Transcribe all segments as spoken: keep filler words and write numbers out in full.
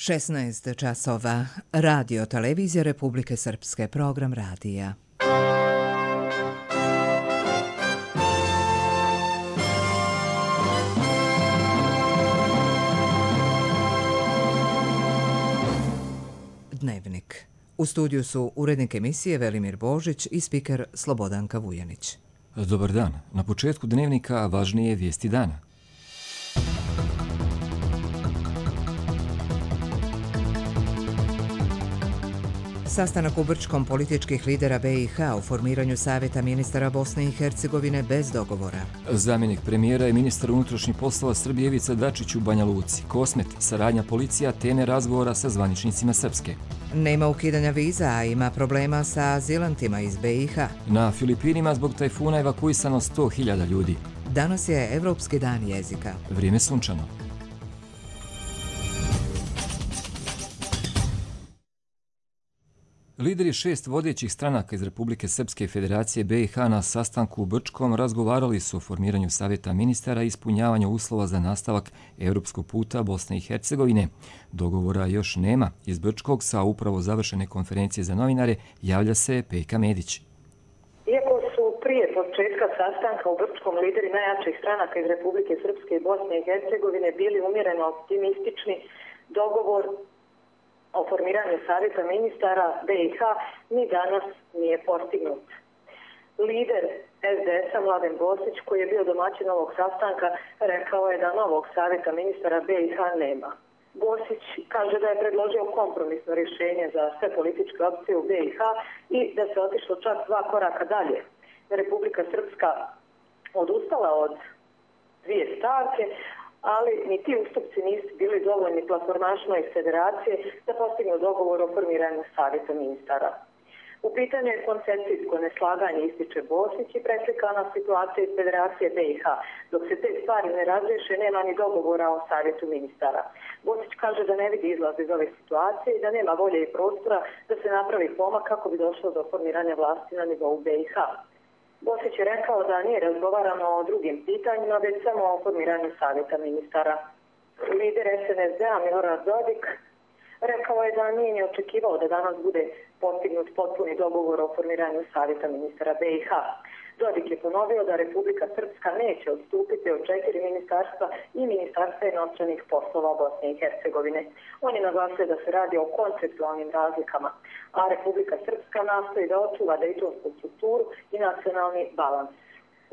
šesnaest časova. Radio Televizija Republike Srpske. Program radija. Dnevnik. U studiju su urednik emisije Velimir Božić i spiker Slobodanka Vujanić. Dobar dan. Na početku dnevnika važnije vijesti dana. Sastanak u Brčkom političkih lidera B i H o formiranju Savjeta ministara Bosne i Hercegovine bez dogovora. Zamjenik premijera i ministar unutrašnjih poslova Srbije Ivica Dačić u Banja Luci. Kosmet, saradnja policija, teme razgovora sa zvaničnicima Srpske. Nema ukidanja viza, a ima problema sa azilantima iz B i H. Na Filipinima zbog tajfuna evakuisano sto hiljada ljudi. Danas je Evropski dan jezika. Vrijeme sunčano. Lideri šest vodećih stranaka iz Republike Srpske Federacije B i H na sastanku u Brčkom razgovarali su o formiranju Savjeta ministara i ispunjavanju uslova za nastavak europskog puta Bosne i Hercegovine. Dogovora još nema. Iz Brčkog sa upravo završene konferencije za novinare javlja se Pejka Medić. Iako su prije početka sastanka u Brčkom lideri najjačih stranaka iz Republike Srpske i Bosne i Hercegovine bili umjereno optimistični, dogovor o formiranju Savjeta ministara B i H ni danas nije postignut. Lider S D S-a Mladen Bosić, koji je bio domaćin ovog sastanka, rekao je da novog Savjeta ministara B i H nema. Bosić kaže da je predložio kompromisno rješenje za sve političke opcije u B i H i da se otišlo čak dva koraka dalje. Republika Srpska odustala od dvije stavke, ali ni ti ustupci nisu bili dovoljni platformašima iz federacije da postignu dogovor o formiranju Savjeta ministara. U pitanju je koncepcijsko neslaganje, ističe Bosić, i preslikana situacija iz federacije B i H. Dok se te stvari ne razriješe, nema ni dogovora o Savjetu ministara. Bosić kaže da ne vidi izlaz iz ove situacije i da nema volje i prostora da se napravi pomak kako bi došlo do formiranja vlasti na nivou B i H. Bosić je rekao da nije razgovarano o drugim pitanjima, već samo o formiranju Savjeta ministara. Lider S N S D-a Milorad Dodik rekao je da nije ni očekivao da danas bude postignut potpuni dogovor o formiranju Savjeta ministara B i H. Dodik je ponovio da Republika Srpska neće odstupiti od četiri ministarstva i ministarstva inostranih poslova Bosne i Hercegovine. On je naglasio da se radi o konceptualnim razlikama, a Republika Srpska nastoji da očuva dejtonsku strukturu i nacionalni balans.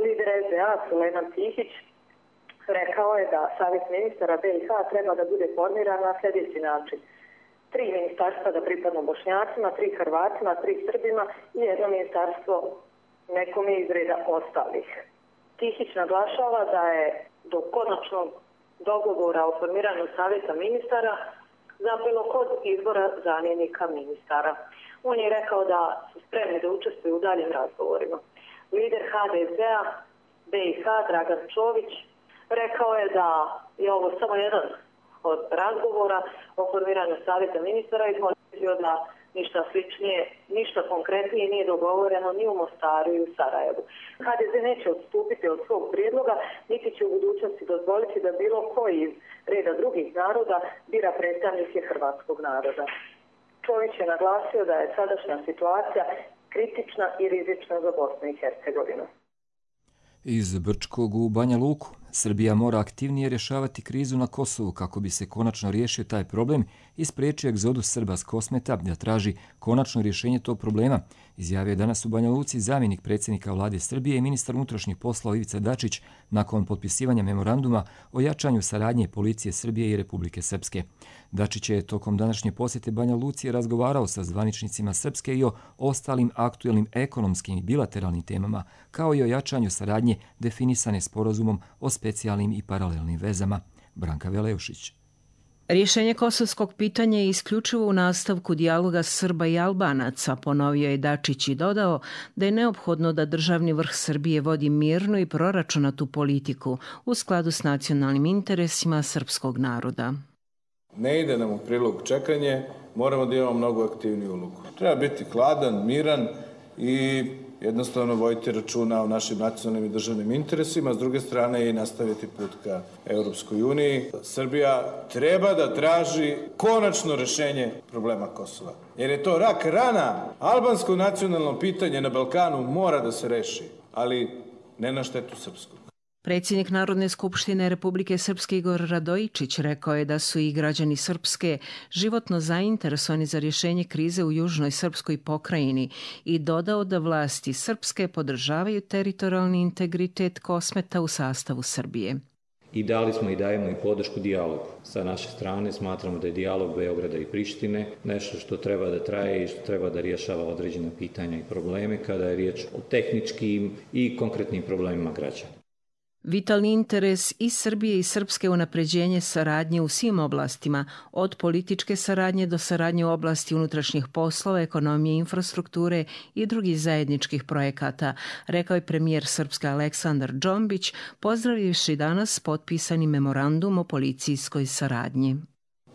Lider S D A Sulejman Tihić rekao je da Savjet ministara B i H treba da bude formiran na sljedeći način. Tri ministarstva da pripadnu Bošnjacima, tri Hrvatima, tri Srbima i jedno ministarstvo nekom iz reda ostalih. Tihić naglašava da je do konačnog dogovora o formiranju Savjeta ministara zapelo kod izbora zamjenika ministara. On je rekao da su spremni da učestvuju u daljim razgovorima. Lider H D Z-a B i H Dragan Čović rekao je da je ovo samo jedan od razgovora o formiranju Savjeta ministara i izmolio da ništa sličnije, ništa konkretnije nije dogovoreno ni u Mostaru i u Sarajevu. H D Z neće odstupiti od svog prijedloga, niti će u budućnosti dozvoliti da bilo koji iz reda drugih naroda bira predstavnike hrvatskog naroda. Čović je naglasio da je sadašnja situacija kritična i rizična za Bosnu i Hercegovinu. Iz Brčkog u Banja Luku. Srbija mora aktivnije rješavati krizu na Kosovu kako bi se konačno riješio taj problem i spriječio egzodus Srba s Kosmeta da traži konačno rješenje tog problema, izjavio je danas u Banja Luci zamjenik predsjednika vlade Srbije i ministar unutrašnjih poslova Ivica Dačić nakon potpisivanja memoranduma o jačanju saradnje policije Srbije i Republike Srpske. Dačić je tokom današnje posjete Banja Luci razgovarao sa zvaničnicima Srpske i o ostalim aktuelnim ekonomskim i bilateralnim temama, kao i o jačanju saradnje definisane sporazumom o specijalnim i paralelnim vezama. Branka Veleušić. Rješenje kosovskog pitanja je isključivo u nastavku dijaloga Srba i Albanaca, ponovio je Dačić i dodao da je neophodno da državni vrh Srbije vodi mirnu i proračunatu politiku u skladu s nacionalnim interesima srpskog naroda. Ne ide nam u prilog čekanje, moramo da imamo mnogo aktivniju ulogu. Treba biti hladan, miran i jednostavno voditi računa o našim nacionalnim i državnim interesima, s druge strane i nastaviti put ka Europskoj uniji. Srbija treba da traži konačno rešenje problema Kosova. Jer je to rak rana, albansko nacionalno pitanje na Balkanu mora da se reši, ali ne na štetu srpskog. Predsjednik Narodne skupštine Republike Srpske Igor Radojičić rekao je da su i građani Srpske životno zainteresovani za rješenje krize u južnoj srpskoj pokrajini i dodao da vlasti Srpske podržavaju teritorijalni integritet Kosmeta u sastavu Srbije. I dali smo i dajemo i podršku dijalogu. Sa naše strane smatramo da je dijalog Beograda i Prištine nešto što treba da traje i što treba da rješava određena pitanja i probleme kada je riječ o tehničkim i konkretnim problemima građana. Vitalni interes i Srbije i Srpske unapređenje saradnje u svim oblastima, od političke saradnje do saradnje u oblasti unutrašnjih poslova, ekonomije, infrastrukture i drugih zajedničkih projekata, rekao je premijer Srpske Aleksandar Džombić, pozdravivši danas potpisani memorandum o policijskoj saradnji.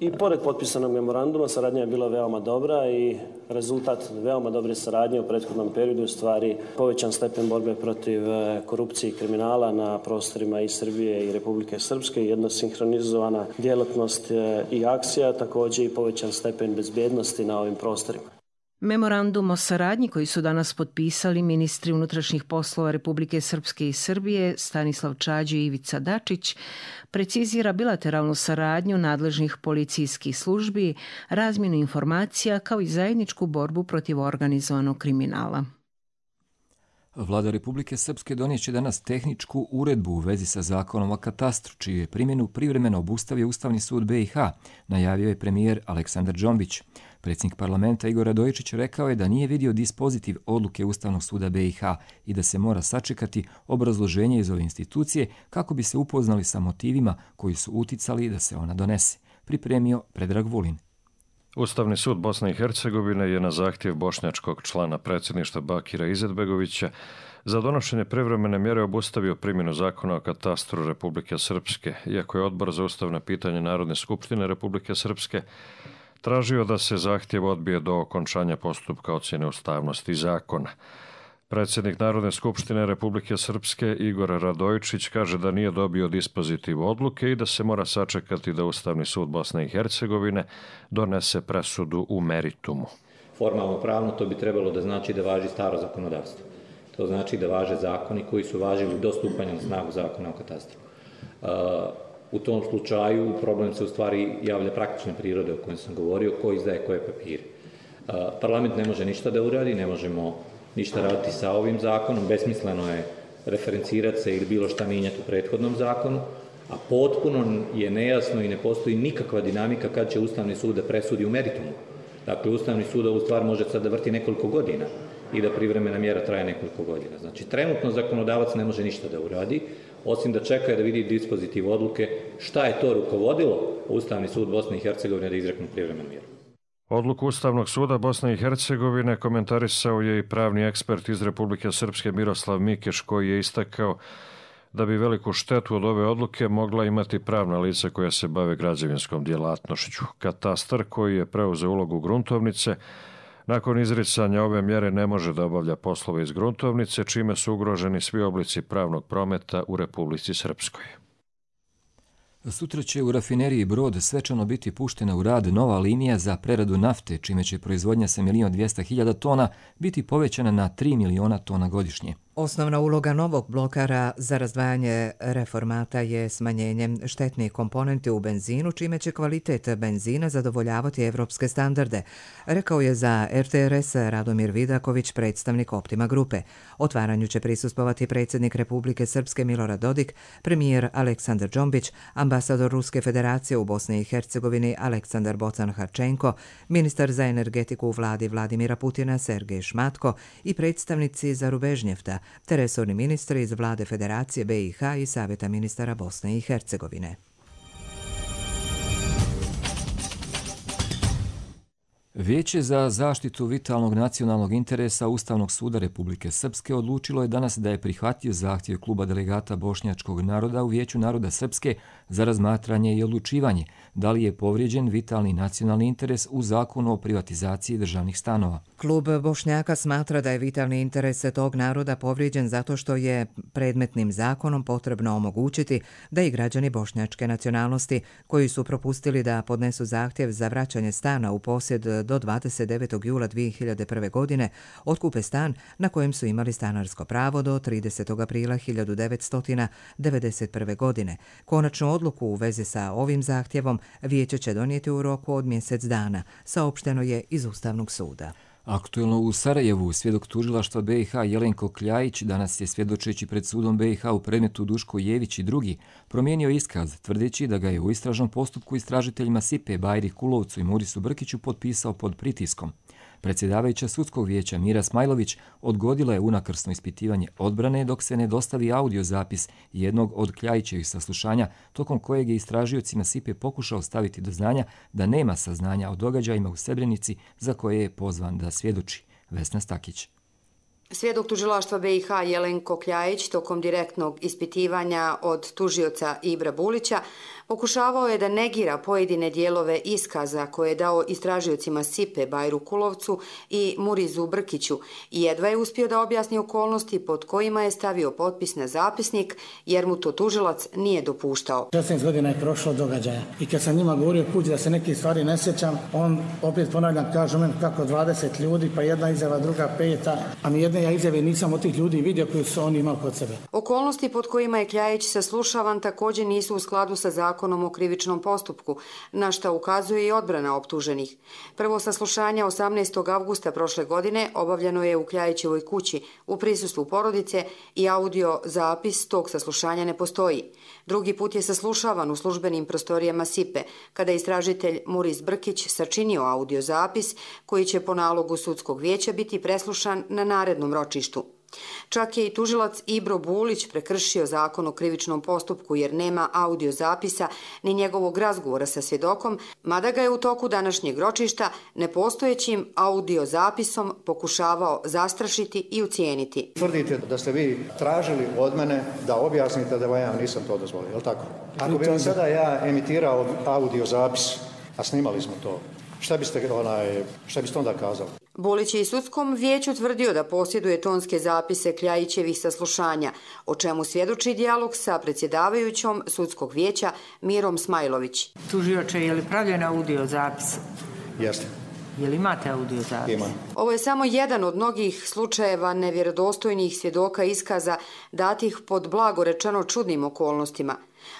I pored potpisanog memoranduma saradnja je bila veoma dobra i rezultat veoma dobre saradnje u prethodnom periodu u stvari povećan stepen borbe protiv korupcije i kriminala na prostorima i Srbije i Republike Srpske, jedna sinhronizovana djelatnost i akcija, također i povećan stepen bezbjednosti na ovim prostorima. Memorandum o saradnji koji su danas potpisali ministri unutrašnjih poslova Republike Srpske i Srbije Stanislav Čađi i Ivica Dačić precizira bilateralnu saradnju nadležnih policijskih službi, razmjenu informacija kao i zajedničku borbu protiv organizovanog kriminala. Vlada Republike Srpske donijet će danas tehničku uredbu u vezi sa zakonom o katastru, čiju je primjenu privremeno obustavio Ustavni sud B i H, najavio je premijer Aleksandar Džombić. Predsjednik parlamenta Igor Radojičić rekao je da nije vidio dispozitiv odluke Ustavnog suda B i H i da se mora sačekati obrazloženje iz ove institucije kako bi se upoznali sa motivima koji su uticali da se ona donese. Pripremio Predrag Vulin. Ustavni sud Bosne i Hercegovine je na zahtjev bošnjačkog člana predsjedništva Bakira Izetbegovića za donošenje privremene mjere obustavio primjenu zakona o katastru Republike Srpske, iako je Odbor za ustavna pitanja Narodne skupštine Republike Srpske tražio da se zahtjev odbije do okončanja postupka ocjene ustavnosti zakona. Predsjednik Narodne skupštine Republike Srpske Igor Radojičić kaže da nije dobio dispozitiv odluke i da se mora sačekati da Ustavni sud Bosne i Hercegovine donese presudu u meritumu. Formalno pravno to bi trebalo da znači da važi staro zakonodavstvo. To znači da važe zakoni koji su važili do stupanja na snagu zakona o katastru. U tom slučaju problem se u stvari javlja praktične prirode o kojem sam govorio, ko izdaje koje papire. Parlament ne može ništa da uradi, ne možemo ništa raditi sa ovim zakonom, besmisleno je referencirati se ili bilo šta mijenjati u prethodnom zakonu, a potpuno je nejasno i ne postoji nikakva dinamika kad će Ustavni sud da presudi u meritumu. Dakle, Ustavni sud ovu stvar može sad da vrti nekoliko godina i da privremena mjera traje nekoliko godina. Znači, trenutno zakonodavac ne može ništa da uradi, osim da čeka da vidi dispozitiv odluke šta je to rukovodilo Ustavni sud Bosne i Hercegovine da izrekne privremenu mjeru. Odluku Ustavnog suda Bosne i Hercegovine komentarisao je i pravni ekspert iz Republike Srpske Miroslav Mikeš, koji je istakao da bi veliku štetu od ove odluke mogla imati pravna lica koja se bave građevinskom djelatnošću. Katastar, koji je preuzeo ulogu gruntovnice, nakon izricanja ove mjere ne može da obavlja poslove iz gruntovnice, čime su ugroženi svi oblici pravnog prometa u Republici Srpskoj. Sutra će u rafineriji Brod svečano biti puštena u rad nova linija za preradu nafte, čime će proizvodnja sa milion dvjesto hiljada tona biti povećana na tri miliona tona godišnje. Osnovna uloga novog blokara za razdvajanje reformata je smanjenje štetnih komponenti u benzinu, čime će kvalitet benzina zadovoljavati evropske standarde, rekao je za R T R S Radomir Vidaković, predstavnik Optima grupe. Otvaranju će prisustvovati predsjednik Republike Srpske Milorad Dodik, premijer Aleksandar Džombić, ambasador Ruske federacije u Bosni i Hercegovini Aleksandar Bocan-Harčenko, ministar za energetiku u vladi Vladimira Putina Sergej Šmatko i predstavnici Zarubežnjefta, te resorni ministri iz vlade Federacije B i H i Savjeta ministara Bosne i Hercegovine. Vijeće za zaštitu vitalnog nacionalnog interesa Ustavnog suda Republike Srpske odlučilo je danas da je prihvatio zahtjev kluba delegata bošnjačkog naroda u Vijeću naroda Srpske za razmatranje i odlučivanje da li je povrijeđen vitalni nacionalni interes u zakonu o privatizaciji državnih stanova. Klub Bošnjaka smatra da je vitalni interes tog naroda povrijeđen zato što je predmetnim zakonom potrebno omogućiti da i građani bošnjačke nacionalnosti koji su propustili da podnesu zahtjev za vraćanje stana u posjed do dvadeset devetog jula dvije hiljade prve. godine otkupe stan na kojem su imali stanarsko pravo do tridesetog aprila hiljadu devetsto devedeset prve. godine. Konačnu odluku u vezi sa ovim zahtjevom Vijeće će donijeti u roku od mjesec dana, saopšteno je iz Ustavnog suda. Aktuelno u Sarajevu svjedok tužilaštva B i H Jelenko Kljajić danas je svjedočeći pred sudom B i H u predmetu Duško Jević i drugi promijenio iskaz tvrdeći da ga je u istražnom postupku istražiteljima Sipe Bajri Kulovcu i Murisu Brkiću potpisao pod pritiskom. Predsjedavajuća sudskog vijeća Mira Smajlović odgodila je unakrsno ispitivanje odbrane dok se ne dostavi audio zapis jednog od Kljajićevih saslušanja tokom kojeg je istražiocima Sipe pokušao staviti do znanja da nema saznanja o događajima u Srebrenici za koje je pozvan da svjedoči. Vesna Stakić. Svjedok tužilaštva B i H Jelenko Kljajić tokom direktnog ispitivanja od tužioca Ibra Bulića pokušavao je da negira pojedine dijelove iskaza koje je dao istražiocima Sipe Bajru Kulovcu i Murizu Brkiću i jedva je uspio da objasni okolnosti pod kojima je stavio potpis na zapisnik jer mu to tužilac nije dopuštao. šesnaest godina je prošlo događaja i kad sam njima govorio kući da se neke stvari ne sjećam, on opet ponavljam kažu meni kako dvadeset ljudi, pa jedna izjava, druga peta, a ni jedne ja izjave nisam od tih ljudi vidio koji su oni imali kod sebe. Okolnosti pod kojima je Kljajić saslušavan također nisu u skladu sa zakonom o krivičnom postupku, na šta ukazuje i odbrana optuženih. Prvo saslušanje osamnaestog avgusta prošle godine obavljeno je u Kljajićevoj kući u prisustvu porodice i audio zapis tog saslušanja ne postoji. Drugi put je saslušavan u službenim prostorijama Sipe, kada je istražitelj Muris Brkić sačinio audio zapis koji će po nalogu sudskog vijeća biti preslušan na narednom ročištu. Čak je i tužilac Ibro Bulić prekršio zakon o krivičnom postupku jer nema audio zapisa ni njegovog razgovora sa svjedokom, mada ga je u toku današnjeg ročišta nepostojećim audio zapisom pokušavao zastrašiti i ucijeniti. Tvrdite da ste vi tražili od mene da objasnite da vam ja nisam to dozvolio, je li tako? Ako bi vam sada ja emitirao audio zapis, a snimali smo to, šta biste, onaj, šta biste onda kazali? Bulić je i sudskom vijeću tvrdio da posjeduje tonske zapise Kljajićevih saslušanja, o čemu svjedoči dijalog sa predsjedavajućom sudskog vijeća Mirom Smajlović. Tužioče, je li pravljen audio zapis? Jeste. Je li imate audio zapis? Imam. Ovo je samo jedan od mnogih slučajeva nevjerodostojnih svjedoka iskaza datih pod blago rečeno čudnim okolnostima.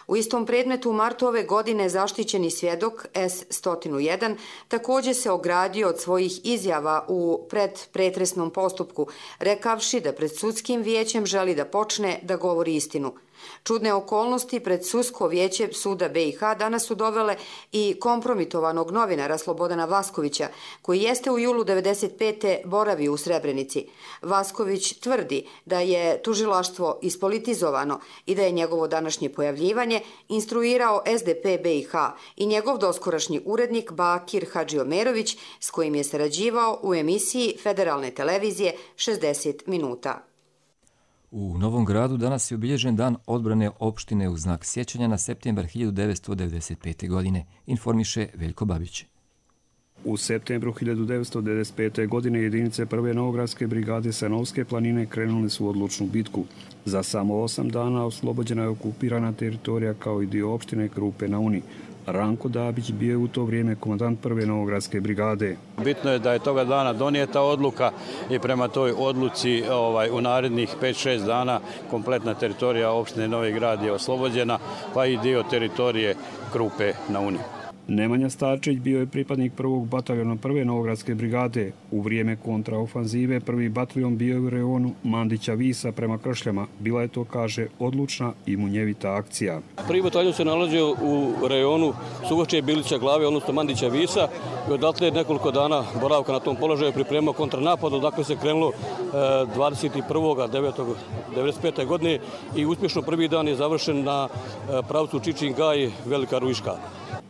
U istom predmetu u martu ove godine zaštićeni svjedok S sto jedan također se ogradio od svojih izjava u predpretresnom postupku, rekavši da pred sudskim vijećem želi da počne da govori istinu. Čudne okolnosti pred sudsko vijeće suda B i H danas su dovele i kompromitovanog novinara Slobodana Vaskovića, koji jeste u julu devedeset pete boravio u Srebrenici. Vasković tvrdi da je tužilaštvo ispolitizovano i da je njegovo današnje pojavljivanje instruirao S D P B i H i njegov doskorašnji urednik Bakir Hadžiomerović, s kojim je sarađivao u emisiji Federalne televizije šezdeset minuta. U Novom Gradu danas je obilježen dan odbrane opštine u znak sjećanja na septembar hiljadu devetsto devedeset pete. godine, informiše Veljko Babić. U septembru hiljadu devetsto devedeset pete. godine jedinice prve Novogradske brigade sa Novske planine krenule su u odlučnu bitku. Za samo osam dana oslobođena je okupirana teritorija kao i dio opštine Krupe na Uni. Ranko Dabić bio je u to vrijeme komandant prve Novogradske brigade. Bitno je da je toga dana donijeta odluka i prema toj odluci ovaj, u narednih pet šest dana kompletna teritorija opštine Novi Grad je oslobođena, pa i dio teritorije Krupe na Uni. Nemanja Starčević bio je pripadnik prvog bataljona prve Novogradske brigade. U vrijeme kontraofanzive prvi bataljon bio je u rejonu Mandića Visa prema Kršljama. Bila je to, kaže, odlučna i munjevita akcija. Prvi bataljon se nalazio u rejonu Sugočije Bilića glave, odnosno Mandića Visa. I odatle nekoliko dana boravka na tom položaju pripremao kontranapad, odakle se krenulo dvadeset prvog devetog devedeset pete. godine i uspješno prvi dan je završen na pravcu Čičin Gaj, Velika Ruiška.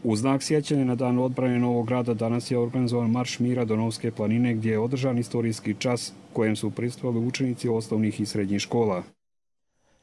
U znak sjećanja na dan odbrane Novog Grada danas je organizovan Marš mira do Novske planine gdje je održan istorijski čas kojem su prisustvovali učenici osnovnih i srednjih škola.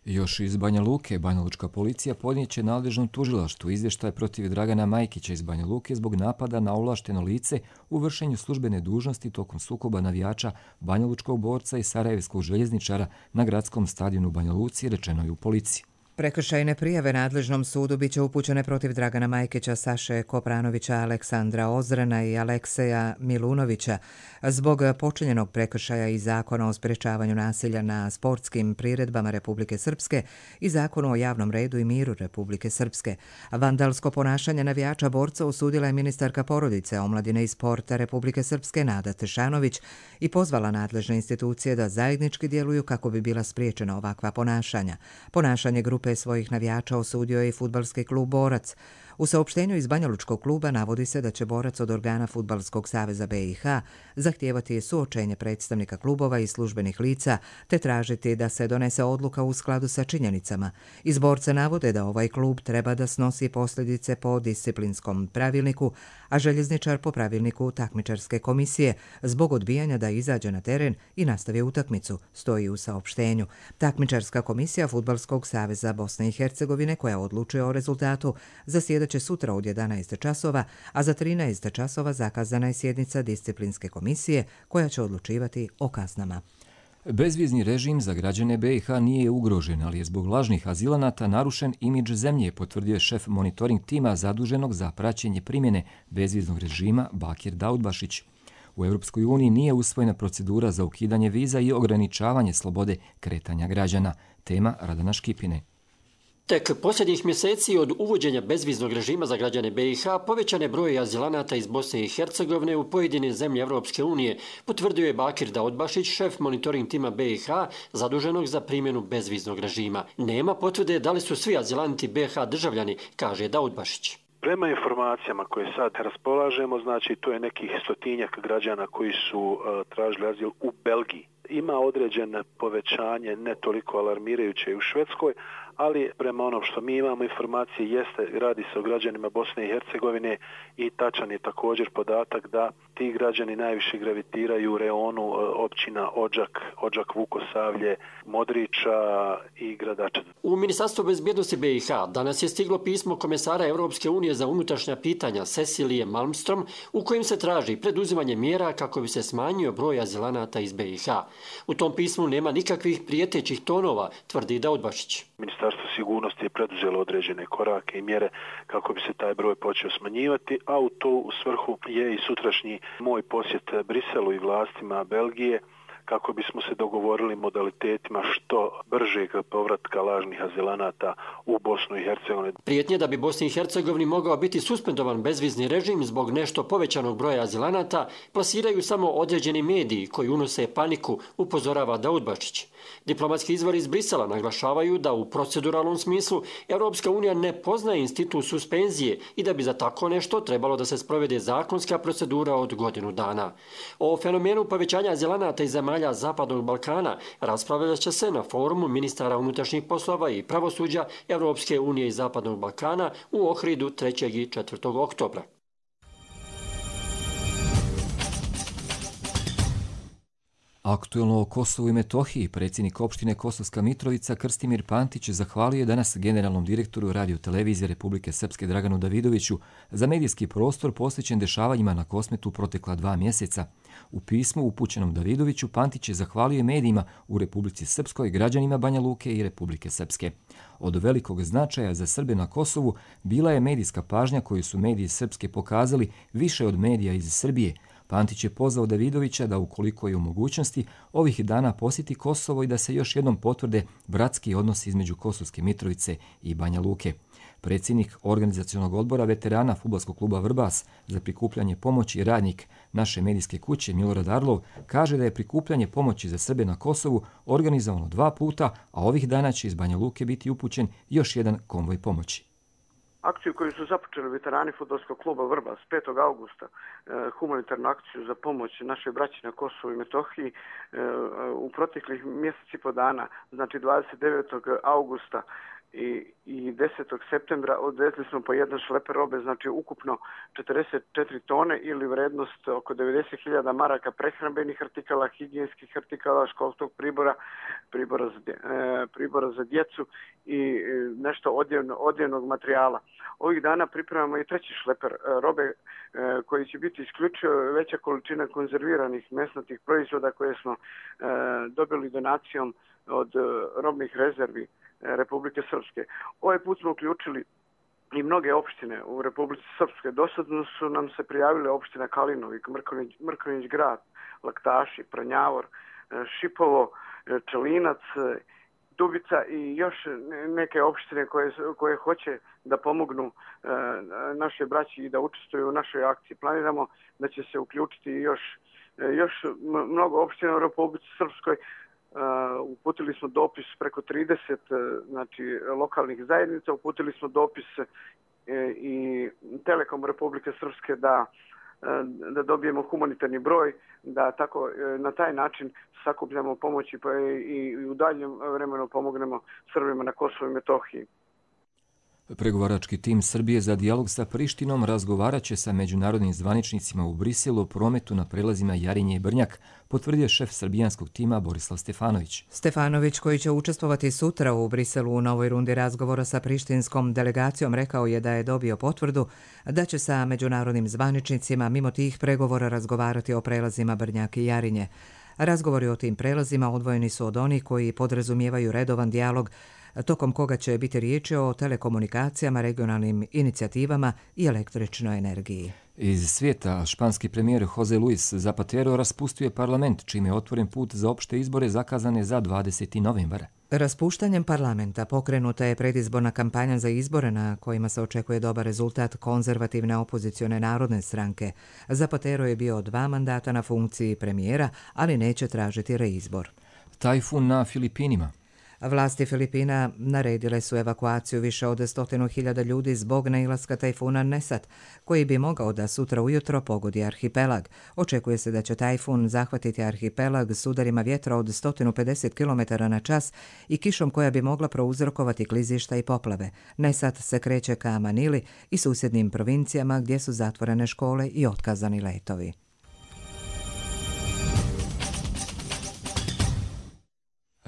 Još iz Banja Luke, banjalučka policija podnijeće nadležnom tužilaštvu izvještaj protiv Dragana Majkića iz Banja Luke zbog napada na ovlašteno lice u vršenju službene dužnosti tokom sukoba navijača banjalučkog borca i sarajevskog željezničara na gradskom stadionu u Banja Luci, rečeno je u policiji. Prekršajne prijave nadležnom sudu biće upućene protiv Dragana Majkića, Saše Kopranovića, Aleksandra Ozrena i Alekseja Milunovića zbog počinjenog prekršaja iz Zakona o sprečavanju nasilja na sportskim priredbama Republike Srpske i Zakonu o javnom redu i miru Republike Srpske. Vandalsko ponašanje navijača borca osudila je ministarka porodice, omladine i sporta Republike Srpske Nada Tešanović i pozvala nadležne institucije da zajednički djeluju kako bi bila spriječena ovakva ponašanja. Ponašanje grupe svojih navijača osudio je i fudbalski klub Borac. U saopštenju iz banjalučkog kluba navodi se da će Borac od organa Fudbalskog saveza B i H zahtijevati suočenje predstavnika klubova i službenih lica te tražiti da se donese odluka u skladu sa činjenicama. Iz Borca navode da ovaj klub treba da snosi posljedice po disciplinskom pravilniku, a željezničar po pravilniku takmičarske komisije zbog odbijanja da izađe na teren i nastavi utakmicu, stoji u saopštenju. Takmičarska komisija Fudbalskog saveza Bosne i Hercegovine koja odlučuje o rezultatu zasjedat će sutra od jedanaest časova, a za trinaest časova zakazana je sjednica disciplinske komisije koja će odlučivati o kaznama. Bezvizni režim za građane B i H nije ugrožen, ali je zbog lažnih azilanata narušen imidž zemlje, potvrdio je šef monitoring tima zaduženog za praćenje primjene bezviznog režima Bakir Daudbašić. U Europskoj uniji nije usvojena procedura za ukidanje viza i ograničavanje slobode kretanja građana. Tema Radana Škipine. Tek posljednjih mjeseci od uvođenja bezviznog režima za građane B i H povećan je broj azilanata iz Bosne i Hercegovine u pojedine zemlje Evropske unije, potvrdio je Bakir Daudbašić, šef monitoring tima B i H zaduženog za primjenu bezviznog režima. Nema potvrde da li su svi azilanti B i H državljani, kaže Daudbašić. Prema informacijama koje sad raspolažemo, znači to je nekih stotinjak građana koji su uh, tražili azil u Belgiji. Ima određeno povećanje, ne toliko alarmirajuće i u Švedskoj, ali prema onom što mi imamo informacije jeste, radi se o građanima Bosne i Hercegovine i tačan je također podatak da ti građani najviše gravitiraju u reonu općina Odžak, Odžak, Vukosavlje, Modriča i Gradača. U Ministarstvu bezbjednosti B i H danas je stiglo pismo komesara Europske unije za unutrašnja pitanja Cecilije Malmström u kojem se traži preduzimanje mjera kako bi se smanjio broj azilanata iz B i H. U tom pismu nema nikakvih prijetećih tonova, tvrdi Daudbašić. Ministarstvo sigurnosti je preduzelo određene korake i mjere kako bi se taj broj počeo smanjivati, a u to u svrhu je i sutrašnji moj posjet Briselu i vlastima Belgije kako bismo se dogovorili modalitetima što bržeg povratka lažnih azilanata u Bosnu i Hercegovinu. Prijetnje da bi Bosni i Hercegovini mogao biti suspendovan bezvizni režim zbog nešto povećanog broja azilanata plasiraju samo određeni mediji koji unose paniku, upozorava Daudbašić. Diplomatski izvori iz Brisela naglašavaju da u proceduralnom smislu Europska unija ne poznaje institut suspenzije i da bi za tako nešto trebalo da se sprovede zakonska procedura od godinu dana. O fenomenu povećanja azilanata iz zemalja Zapadnog Balkana raspravljat će se na forumu ministara unutrašnjih poslova i pravosuđa Europske unije i Zapadnog Balkana u Ohridu trećeg i četvrtog oktobra. Aktuelno o Kosovu i Metohiji predsjednik opštine Kosovska Mitrovica Krstimir Pantić zahvalio je danas generalnom direktoru Radio-televizije Republike Srpske Draganu Davidoviću za medijski prostor posvećen dešavanjima na Kosmetu protekla dva mjeseca. U pismu upućenom Davidoviću Pantić je zahvalio medijima u Republici Srpskoj, građanima Banja Luke i Republike Srpske. Od velikog značaja za Srbe na Kosovu bila je medijska pažnja koju su mediji Srpske pokazali više od medija iz Srbije. Pantić je pozvao Davidovića da ukoliko je u mogućnosti ovih dana posjeti Kosovo i da se još jednom potvrde bratski odnosi između Kosovske Mitrovice i Banja Luke. Predsjednik organizacionog odbora veterana fudbalskog kluba Vrbas za prikupljanje pomoći radnik naše medijske kuće Milorad Arlov kaže da je prikupljanje pomoći za Srbe na Kosovu organizovano dva puta, a ovih dana će iz Banja Luke biti upućen još jedan konvoj pomoći. Akciju koju su započeli veterani fudbalskog kluba Vrbas petog augusta, humanitarnu akciju za pomoć našoj braći na Kosovu i Metohiji u proteklih mjeseci i po dana, znači dvadeset devetog augusta i, i desetog septembra odvezli smo po jedan šleper robe, znači ukupno četrdeset četiri tone ili vrednost oko devedeset hiljada maraka prehrambenih artikala, higijenskih artikala, školskog pribora, pribora za, e, pribora za djecu i e, nešto odjevno, odjevnog materijala. Ovih dana pripremamo i treći šleper e, robe e, koji će biti isključivo veća količina konzerviranih mesnatih proizvoda koje smo e, dobili donacijom od e, robnih rezervi Republike Srpske. Ovaj put smo uključili i mnoge opštine u Republici Srpske. Dosadno su nam se prijavile opština Kalinovik, Mrkonjić, Mrkonjić grad, Laktaši, Pranjavor, Šipovo, Čelinac, Dubica i još neke opštine koje, koje hoće da pomognu e, naše braći i da učestvuju u našoj akciji. Planiramo da će se uključiti još, još mnogo opština u Republici Srpskoj. Uh, uputili smo dopis preko trideset uh, znači, lokalnih zajednica, uputili smo dopis uh, i Telekom Republike Srpske da, uh, da dobijemo humanitarni broj, da tako uh, na taj način sakupljamo pomoći pa i, i u daljem vremenu pomognemo Srbima na Kosovu i Metohiji. Pregovarački tim Srbije za dijalog sa Prištinom razgovarat će sa međunarodnim zvaničnicima u Briselu o prometu na prelazima Jarinje i Brnjak, potvrdio šef srbijanskog tima Borislav Stefanović. Stefanović, koji će učestvovati sutra u Briselu u novoj rundi razgovora sa prištinskom delegacijom, rekao je da je dobio potvrdu da će sa međunarodnim zvaničnicima mimo tih pregovora razgovarati o prelazima Brnjak i Jarinje. Razgovori o tim prelazima odvojeni su od onih koji podrazumijevaju redovan dijalog, tokom koga će biti riječi o telekomunikacijama, regionalnim inicijativama i električnoj energiji. Iz svijeta španski premijer José Luis Zapatero raspustuje parlament, čime je otvoren put za opšte izbore zakazane za dvadeseti novembar. Raspuštanjem parlamenta pokrenuta je predizborna kampanja za izbore na kojima se očekuje dobar rezultat konzervativne opozicione narodne stranke. Zapatero je bio dva mandata na funkciji premijera, ali neće tražiti reizbor. Tajfun na Filipinima. Vlasti Filipina naredile su evakuaciju više od stotinu hiljada ljudi zbog nailaska tajfuna Nesat, koji bi mogao da sutra ujutro pogodi arhipelag. Očekuje se da će tajfun zahvatiti arhipelag s udarima vjetra od sto pedeset kilometara na čas i kišom koja bi mogla prouzrokovati klizišta i poplave. Nesat se kreće ka Manili i susjednim provincijama gdje su zatvorene škole i otkazani letovi.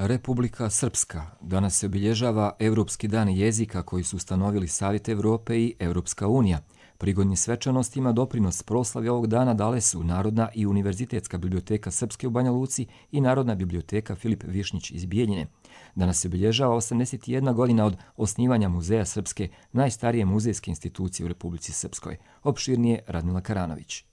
Republika Srpska. Danas se obilježava Evropski dan jezika koji su ustanovili Savjet Evrope i Evropska unija. Prigodni svečanostima doprinos proslavi ovog dana dale su Narodna i Univerzitetska biblioteka Srpske u Banja Luci i Narodna biblioteka Filip Višnjić iz Bijeljine. Danas se obilježava osamdeset jedna godina od osnivanja Muzeja Srpske, najstarije muzejske institucije u Republici Srpskoj. Opširnije Radmila Karanović.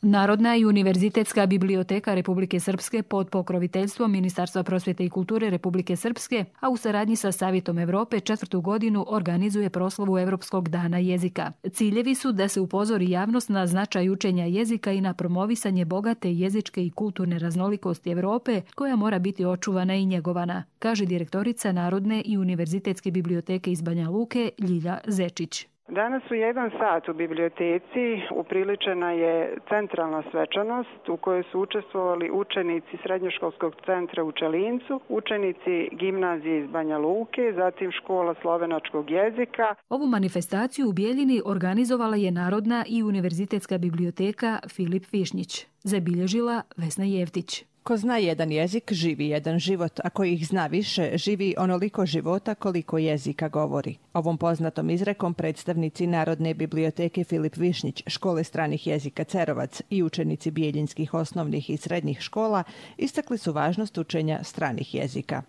Narodna i Univerzitetska biblioteka Republike Srpske pod pokroviteljstvom Ministarstva prosvjete i kulture Republike Srpske, a u saradnji sa Savjetom Evrope četvrtu godinu organizuje proslavu Evropskog dana jezika. Ciljevi su da se upozori javnost na značaj učenja jezika i na promovisanje bogate jezičke i kulturne raznolikosti Evrope, koja mora biti očuvana i njegovana, kaže direktorica Narodne i Univerzitetske biblioteke iz Banja Luke Ljilja Zečić. Danas u jedan sat u biblioteci upriličena je centralna svečanost u kojoj su učestvovali učenici Srednjoškolskog centra u Čelincu, učenici gimnazije iz Banja Luke, zatim škola slovenačkog jezika. Ovu manifestaciju u Bijeljini organizovala je Narodna i Univerzitetska biblioteka Filip Višnjić. Zabilježila Vesna Jevtić. Ko zna jedan jezik, živi jedan život, a ko ih zna više, živi onoliko života koliko jezika govori. Ovom poznatom izrekom predstavnici Narodne biblioteke Filip Višnjić, škole stranih jezika Cerovac i učenici bijeljinskih osnovnih i srednjih škola istakli su važnost učenja stranih jezika.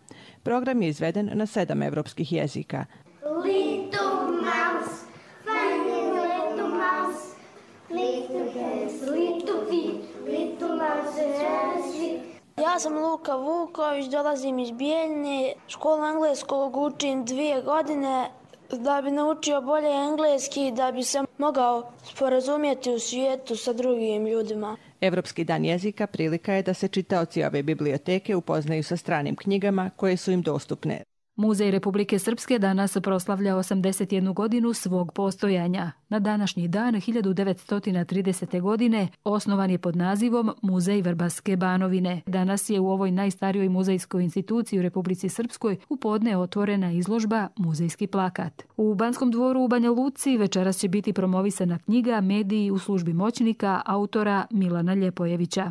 Program je izveden na sedam evropskih jezika. Little mouse, funny little mouse, little hands, little feet, little mouse and sweet. Ja sam Luka Vuković, dolazim iz Bijeljine. Školu engleskog učim dvije godine da bi naučio bolje engleski, da bi se mogao sporazumjeti u svijetu sa drugim ljudima. Evropski dan jezika prilika je da se čitaoci ove biblioteke upoznaju sa stranim knjigama koje su im dostupne. Muzej Republike Srpske danas proslavlja osamdeset jednu godinu svog postojanja. Na današnji dan hiljadu devetsto tridesete. godine osnovan je pod nazivom Muzej Vrbaske Banovine. Danas je u ovoj najstarijoj muzejskoj instituciji u Republici Srpskoj u podne otvorena izložba Muzejski plakat. U Banskom dvoru u Banja Luci večeras će biti promovisana knjiga Mediji u službi moćnika autora Milana Ljepojevića.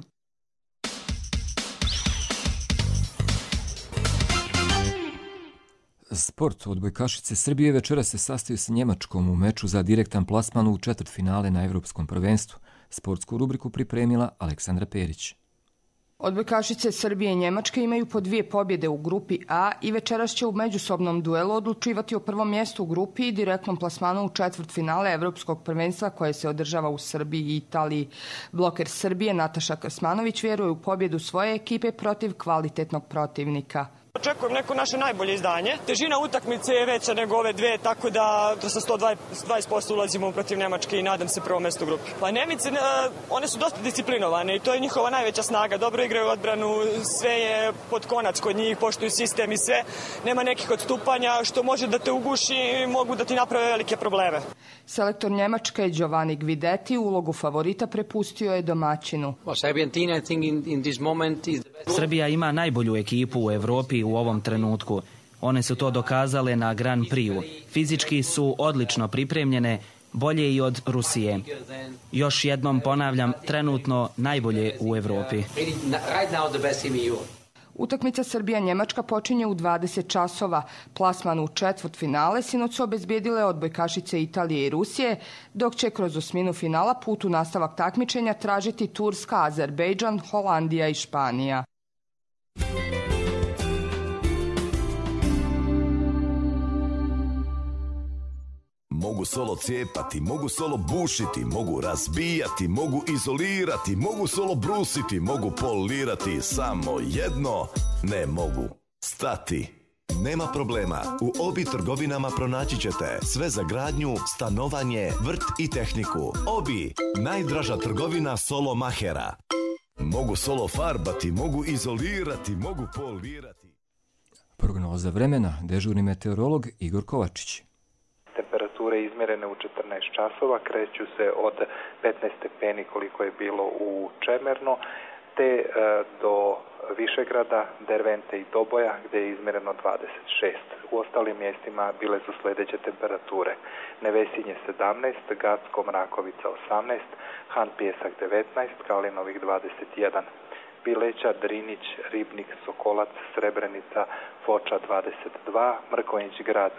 Sport. Odbojkašice Srbije večera se sastaju sa Njemačkom u meču za direktan plasman u četvrtfinale na Evropskom prvenstvu. Sportsku rubriku pripremila Aleksandra Perić. Odbojkašice Srbije i Njemačke imaju po dvije pobjede u grupi A i večeras će u međusobnom duelu odlučivati o prvom mjestu u grupi i direktnom plasmanu u četvrtfinale Evropskog prvenstva koje se održava u Srbiji i Italiji. Bloker Srbije Nataša Krsmanović vjeruje u pobjedu svoje ekipe protiv kvalitetnog protivnika. Očekujem neko naše najbolje izdanje. Težina utakmice je veća nego ove dve, tako da sa sto dvadeset posto ulazimo protiv Njemačke i nadam se prvo mjesto u grupi. Pa Njemice, one su dosta disciplinovane i to je njihova najveća snaga. Dobro igraju odbranu, sve je pod konac kod njih, poštuju sistem i sve. Nema nekih odstupanja što može da te uguši i mogu da ti naprave velike probleme. Selektor Njemačke Giovanni Guidetti ulogu favorita prepustio je domaćinu. Srbija ima najbolju ekipu u Evropi u ovom trenutku. One su to dokazale na Grand Prixu. Fizički su odlično pripremljene, bolje i od Rusije. Još jednom ponavljam, trenutno najbolje u Evropi. Utakmica Srbija-Njemačka počinje u dvadeset časova. Plasman u četvrtfinale sinoć su obezbijedile odbojkašice Italije i Rusije, dok će kroz osminu finala put u nastavak takmičenja tražiti Turska, Azerbejdžan, Holandija i Španija. Mogu solo cijepati, mogu solo bušiti, mogu razbijati, mogu izolirati, mogu solo brusiti, mogu polirati, samo jedno ne mogu stati. Nema problema, u Obi trgovinama pronaći ćete sve za gradnju, stanovanje, vrt i tehniku. Obi, najdraža trgovina solo mahera. Mogu solo farbati, mogu izolirati, mogu polirati. Prognoza vremena, dežurni meteorolog Igor Kovačić. Temperature izmjerene u četrnaest časova kreću se od petnaest stepeni koliko je bilo u Čemerno, te e, do Višegrada, Dervente i Doboja gdje je izmjereno dvadeset šest. U ostalim mjestima bile su sljedeće temperature: Nevesinje sedamnaest, Gacko Mrakovica osamnaest, Han Pjesak devetnaest, Kalinovih dvadeset jedan. Bileća, Drinić, Ribnik, Sokolac, Srebrenica, Foča dvadeset dva, Mrkonjić grad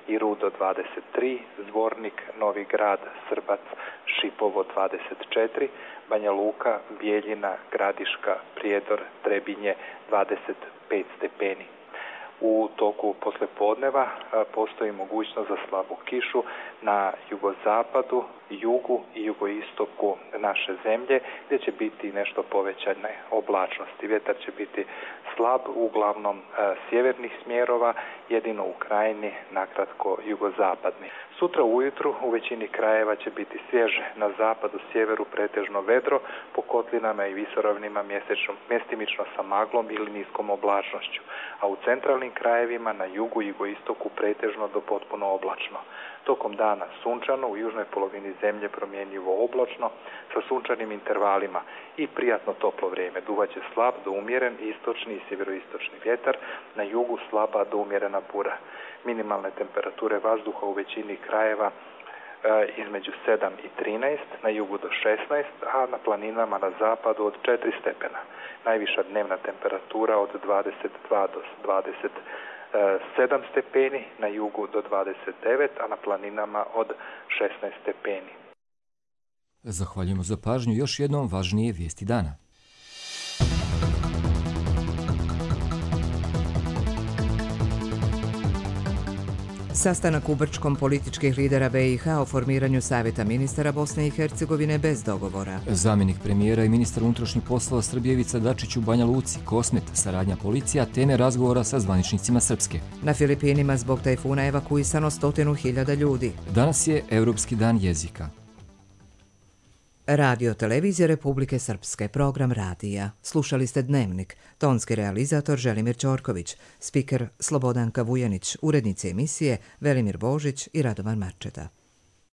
i Rudo dvadeset tri, Zvornik, Novi grad, Srbac, Šipovo dvadeset četiri, Banja Luka, Bijeljina, Gradiška, Prijedor, Trebinje dvadeset pet stepeni. U toku poslijepodneva postoji mogućnost za slabu kišu na jugozapadu, jugu i jugoistoku naše zemlje, gdje će biti nešto povećane oblačnosti. Vjetar će biti slab, uglavnom e, sjevernih smjerova, jedino u krajini, nakratko jugozapadni. Sutra ujutru u većini krajeva će biti svježe, na zapadu, sjeveru pretežno vedro, po kotlinama i visoravnima mjestimično sa maglom ili niskom oblačnošću, a u centralnim krajevima na jugu i jugoistoku pretežno do potpuno oblačno. Tokom dana sunčano, u južnoj polovini zemlje promjenjivo oblačno sa sunčanim intervalima i prijatno toplo vrijeme. Duvaće slab do umjeren istočni i sjeveroistočni vjetar, na jugu slaba do umjerena bura. Minimalne temperature vazduha u većini krajeva e, između sedam i trinaest, na jugu do šesnaest, a na planinama na zapadu od četiri stepena. Najviša dnevna temperatura od dvadeset dva do dvadeset sedam stepeni, na jugu do dvadeset devet, a na planinama od šesnaest stepeni. Zahvaljujemo za pažnju. Još jednom važnije vijesti dana. Sastanak u Brčkom političkih lidera B i H o formiranju Savjeta ministara Bosne i Hercegovine bez dogovora. Zamjenik premijera i ministar unutrašnjih poslova Srbije Ivica Dačić u Banja Luci, Kosmet, saradnja policija, teme razgovora sa zvaničnicima Srpske. Na Filipinima zbog tajfuna evakuisano stotinu hiljada ljudi. Danas je Europski dan jezika. Radio Televizija Republike Srpske, program radija. Slušali ste Dnevnik, tonski realizator Želimir Ćorković, spiker Slobodanka Vujanić, urednici emisije Velimir Božić i Radovan Marčeta.